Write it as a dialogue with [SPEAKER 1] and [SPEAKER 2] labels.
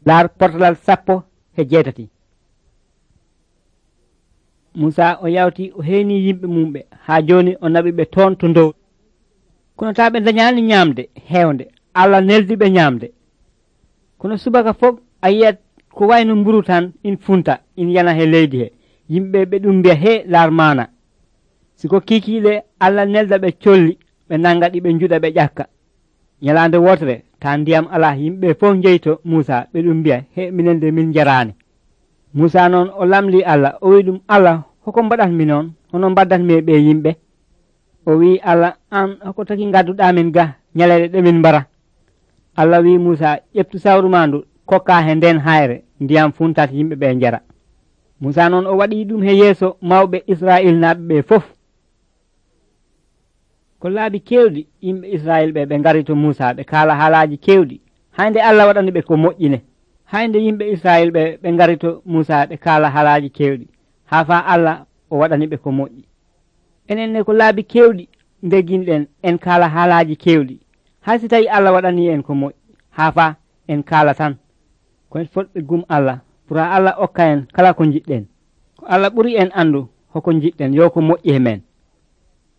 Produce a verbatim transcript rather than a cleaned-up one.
[SPEAKER 1] laar portalal sappo e jeetati. Musa o yawti o heeni yimɓe mumɓe haa joni o naɓiɓe toon to dow. Kono taa ɓe dañaani ñaamde heewnde, Allah neldiɓe ñaamde. Kono subaka fof a yiyat ko wayno mburu tan in funta in yana he leydi he, yimɓe ɓe ɗum mbiya he laar maana. siko kiikiiɗe Allah nelda ɓe colli ɓe nanga ɗi ɓe njuɗa ɓe ƴakka. ñalaande wotere ta ndiyam ala yimɓe fof jeyto Musa ɓe ɗum mbiya he minen de min jaraani. Musa noon o lamli Allah o wi ɗum Allah hoko mbaɗatmi noon hono mbaddatmi e ɓe yimɓe. O wi Allah an hoko taki gadduɗa min ga ñalele ɗe min mbara. Allah wi Musa ƴeftu sawru ma ndu kokka he nden hayre ndiyam funtat yimɓe ɓe njara. Musa noon o waɗi ɗum he yeeso mawɓe Israil naaɓe ɓe fof. Ko laabi kewɗi yimɓe Israil ɓe ɓe ngari to Musa ɓe kaala haalaji kewɗi haynde Allah waɗani ɓe ko moƴƴine. Haynde yimɓe Israil ɓe ɓe ngari to Musa ɓe kaala haalaji kewɗi haa fa Allah o waɗani ɓe ko moƴƴi. Enen ne ko laabi kewɗi ndeginɗen en kaala haalaji kewɗi hay si tawi Allah waɗani en ko moƴƴi haa fa en kaala tan ko en fotɓe gum Allah pour Allah okka en kala ko jiɗɗen. Ko Allah ɓuri en andu hoko jiɗɗen yo ko moƴƴi e men.